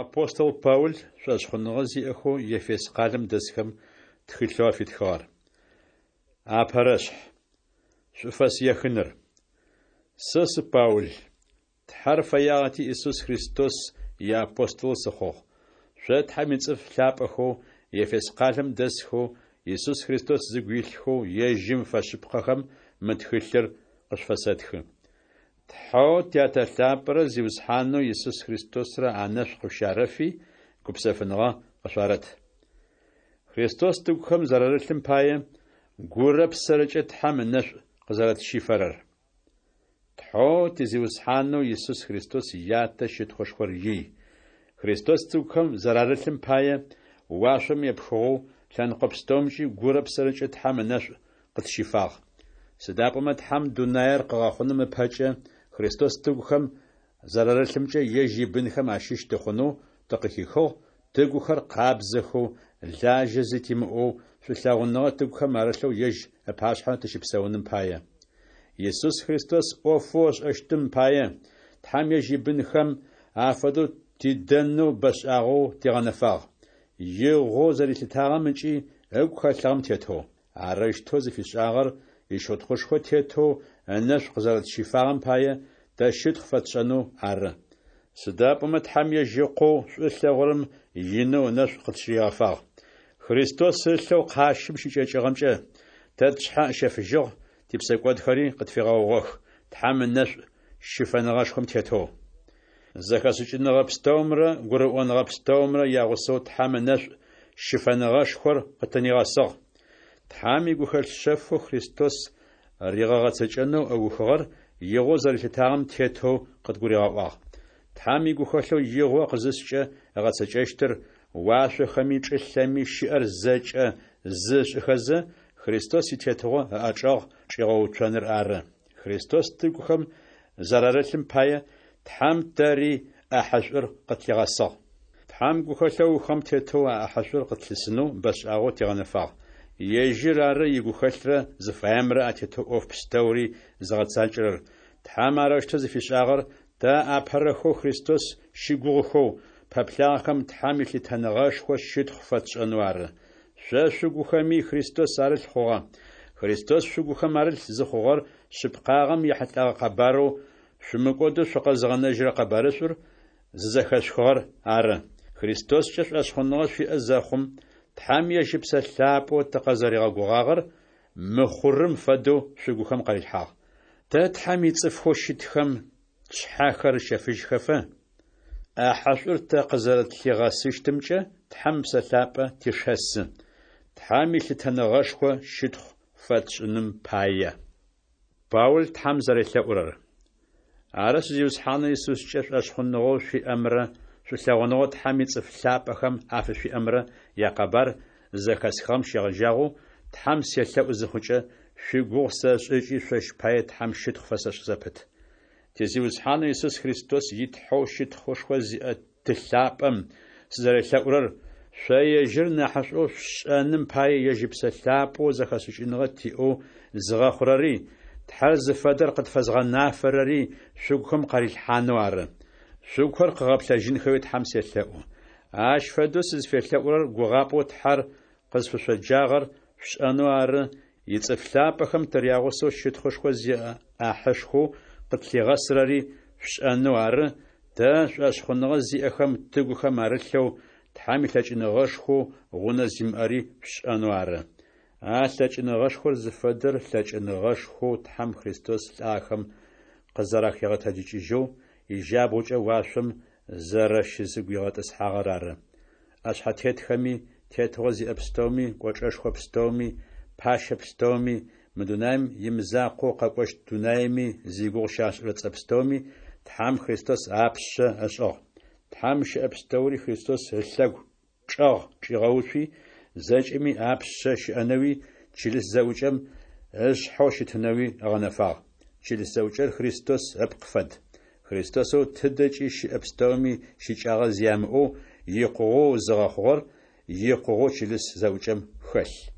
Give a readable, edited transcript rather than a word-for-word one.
Апостол Паул шӏошъхъуныгъэ зиӏэхэу Ефес къалэм дэсхэм тхылъэу афитхыгъэр. Апэрэшъхь. Шӏуфэс ехыныр. Сэ сы Паул. Тхьэр фэягъэти Исус Христос иапостолэу сыхъугъ. Шъо Тхьэм ицӏыф лъапӏэхэу Ефес къалэм дэсхэу, Исус Христос зыгу илъхэу ежьым фэшъыпкъэхэм мы тхылъыр къышъуфэсэтхы. Тхьэу Тятэ лъапӏэрэ Зиусхьанэу Исус Христосрэ анэшӏу къышъущарэфи, гупсэфыныгъэ къышъуарэт. Христос тыгухэм зэрарылъым пае, гурэ псэрэкӏэ Тхьэм ынэшӏу къызэрэтщифэрэр. Тхьэу ти Зиусхьанэу Исус Христос Ятэ щытхъушхор ий. Христос тыгухэм зэрарылъым пае, уашъом епхыгъэу, лъэныкъо пстэумкӏи гурэ псэрэкӏэ Тхьэм ынэшӏу къытщифагъ. Сыда пӏомэ Тхьэм дунаер къыгъэхъуным ыпэкӏэ Христос тыгухэм зэрарылъымкӏэ ежь ибынхэм ащыщ тыхъунэу тыкъыхихыгъ, тыгухэр къабзэхэу, лажьэ зи тимыӏэу, шӏулъэгъуныгъэ тыгухэм арылъэу ежь ыпашъхьэ тыщыпсэуным пае. Исус Христос ӏофэу ышӏэщтым пае, Тхьэм ежь ибынхэм афэдэу тидэнэу бэшӏагъэу тигъэнэфагъ, игъоу зэрилъытагъэм ыкӏи ыгу хэлъыгъэм тетэу. Арэущтэу зыфишӏагъэр ищытхъушхо тетэу ынэшӏу къызэрэтщифагъэм пае тэ щытхъу фэтшӏэнэу ары. Сыда пӏомэ Тхьэм ежь Ыкъоу шӏу ылъэгъурэм инэу ынэшӏу къытщыригъэфагъ. Христос ылъэу къащым щыкӏэкӏыгъэмкӏэ тэ тшъхьэ ыщэфыжьыгъ, типсэкӏодхэри къытфигъэгъугъэх, Тхьэм ынэшӏу щыфэныгъэшхом тетэу. Зэхэшӏыкӏыныгъэ пстэумрэ гурыӏоныгъэ пстэумрэ ягъусэу Тхьэм ынэшӏу щыфэныгъэшхор къытынигъэсыгъ. Тхьэм игухэлъ шъэфэу Христос ригъэгъэцэкӏэнэу ыухыгъэр игъоу зэрилъытагъэм тетэу къыдгуригъэӏуагъ. Тхьэм игухэлъэу игъо къызыскӏэ ыгъэцэкӏэщтыр, уашъохэми чӏылъэми щыӏэр зэкӏэ зы ышӏыхэзэ, Христос итетыгъо ыӏэчӏэгъ чӏигъэуцоныр ары. Христос тыгухэм зэрарылъым пае, Тхьэм тэри ӏэхьышӏур къытлъигъэсыгъ. Тхьэм гухэлъэу ыухыгъэм тетэу а ӏэхьышӏур къытлъысынэу бэшӏагъэу тигъэнэфагъ. Ежьыр ары игухэлърэ зыфаемрэ атетэу ӏоф пстэури зыгъэцакӏэрэр. Тхьэм арэущтэу зыфишӏагъэр тэ апэрэхэу Христос щыгугъыхэу, пэплъагъэхэм Тхьэм илъытэныгъэшхо щытхъу фэтшӏэнэу ары. Шъо шъугухэми Христос арылъ хъугъэ. Христос шъугухэм арылъ зыхъугъэр шъыпкъагъэм ехьылӏэгъэ къэбарэу шъумыкӏодэу шъукъэзыгъэнэжьырэ къэбарышӏур зызэхэшъухыгъэр ары. Христоскӏэ шӏошъхъуныгъэ шъуиӏэ зэхъум, Тхьэм ежь Ыпсэ Лъапӏэу тыкъызэригъэгугъагъэр мыхъурым фэдэу шъугухэм къарилъхьагъ. Тэ Тхьэм ицӏыфхэу щытхэм тшъхьэхэр ыщэфыжьхэфэ, ӏэхьышӏур тэ къызэрэтлъигъэсыщтымкӏэ Тхьэм Ыпсэ Лъапӏэ тешэсы, Тхьэм илъытэныгъэшхо щытхъу фэтшӏыным пае. Паул Тхьэм зэрелъэӏурэр. Арышъ, Зиусхьанэу Исускӏэ шӏошъхъуныгъэу шъуиӏэмрэ шӏулъэгъуныгъэу Тхьэм ицӏыф лъапӏэхэм афышъуиӏэмрэ якъэбар зызэхэсхыгъэм щегъэжьагъэу Тхьэм селъэӏу зыхъукӏэ, шъуигугъу сэшӏы ыкӏи шъощ пае Тхьэм щытхъу фэсэшӏ зэпыт. Ти Зиусхьанэу Исус Христос и Тхьэу щытхъушхо зиӏэ Ты лъапӏэм сызэрелъэӏурэр шъо ежьыр нахьышӏоу шъушӏэным пае ежь Ыпсэ Лъапӏэу зэхэшӏыкӏыныгъэ тиӏэу зыгъэхъурэри, Тхьэр зыфэдэр къытфэзгъэнафэрэри шъугухэм къарилъхьанэу ары. Шъугухэр къыгъэплъэжьынхэуи Тхьэм селъэӏу. Ащ фэдэу сызфелъэӏурэр гугъапӏэу Тхьэр къызфышъоджагъэр шъушӏэнэу ары, ицӏыф лъапӏэхэм тырягъусэу щытхъушхо зиӏэ ӏахьышхоу къытлъигъэсырэри шъушӏэнэу ары, тэ, шӏошъхъуныгъэ зиӏэхэм тыгухэм арылъэу, Тхьэм илъэкӏыныгъэшхоу гъунэ зимыӏэри шъушӏэнэу ары. А лъэкӏыныгъэшхор зыфэдэр лъэкӏыныгъэшхоу Тхьэм Христос лӏахэм къызэрахигъэтэджыкӏыжьэу, ижьабгъукӏэ уашъом зэрэщызыгуигъэтӏысхьагъэр ары. ӏэшъхьэтетхэми, тетыгъо зиӏэ пстэуми, кӏочӏэшхо пстэуми, пащэ пстэуми, мы дунаим имызакъоу къэкӏощт дунаими зигугъу щашӏырэ цӏэ пстэуми Тхьэм Христос апшъэ ышӏыгъ. Тхьэм щыӏэ пстэури Христос ылъэгу чӏэгъ чӏигъэуцуи, зэкӏэми апшъэ щыӏэнэуи, чылыс зэӏукӏэм ышъхьэу щытынэуи ыгъэнэфагъ. Чылыс зэӏукӏэр Христос ыпкъ фэд. Христосэу тыдэкӏи щыӏэ пстэуми щыкӏагъэ зи ямыӏэу, икъугъэу зыгъэхъугъэр икъугъэу чылыс зэӏукӏэм хэлъ.